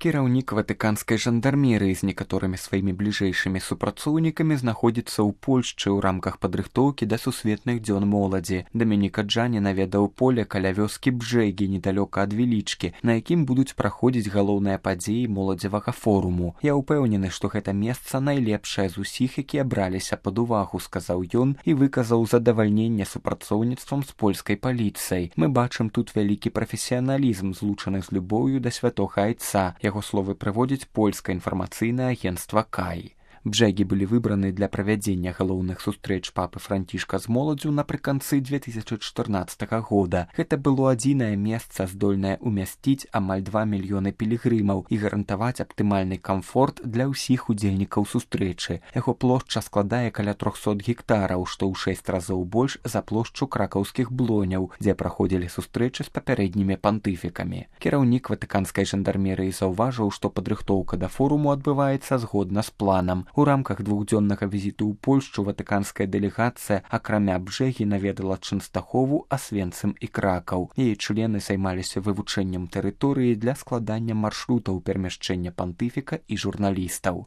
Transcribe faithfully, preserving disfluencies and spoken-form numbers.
Кіраўнік ватыканскай жандармерыі з некаторымі сваімі бліжэйшымі супрацоўнікамі знаходзіцца ў Польшчы ў рамках падрыхтоўкі да сусветных дзён моладзі. Дамініка Джані наведаў поле каля вёскі Бжэгі недалёка ад Велічкі, на якім будуць праходзіць галоўныя падзеі моладзевага форуму. Я ўпэўнены, што гэта месца найлепшае з усіх, якія браліся пад увагу, сказаў ён і выказаў задавальненне супрацоўніцтвам з польскай паліцыяй. Мы бачым тут вялікі прафесіяналізм, злучаны з любоўю да святога айца. Яго словы прыводзіць польскае інфармацыйнае агенцтва Кай. Бжэгі былі выбраны для правядзення галоўных сустрэч папы Францішка з моладзю напрыканцы две тысячы чатырнаццатага года. Гэта было адзінае месца, здольнае ўмясціць амаль два мільёны пілігрымаў і гарантаваць аптымальны камфорт для ўсіх удзельнікаў сустрэчы. Яго плошча складае каля трохсот гектараў, што ў шэсць разоў больш за плошчу кракаўскіх блоняў, дзе праходзілі сустрэчы з папярэднімі пантыфікамі. Кіраўнік ватыканскай жандармерыі заўважыў, што падрыхтоўка да форуму адбываецца згодна з планам. У рамках двухдзённага візіту ў Польшчу ватыканская дэлегацыя акрамя Бжэгі наведала Чэнстахову, Асвенцым і Кракаў. Яе члены займаліся вывучэннем тэрыторыі для складання маршрутаў перамяшчэння пантыфіка і журналістаў.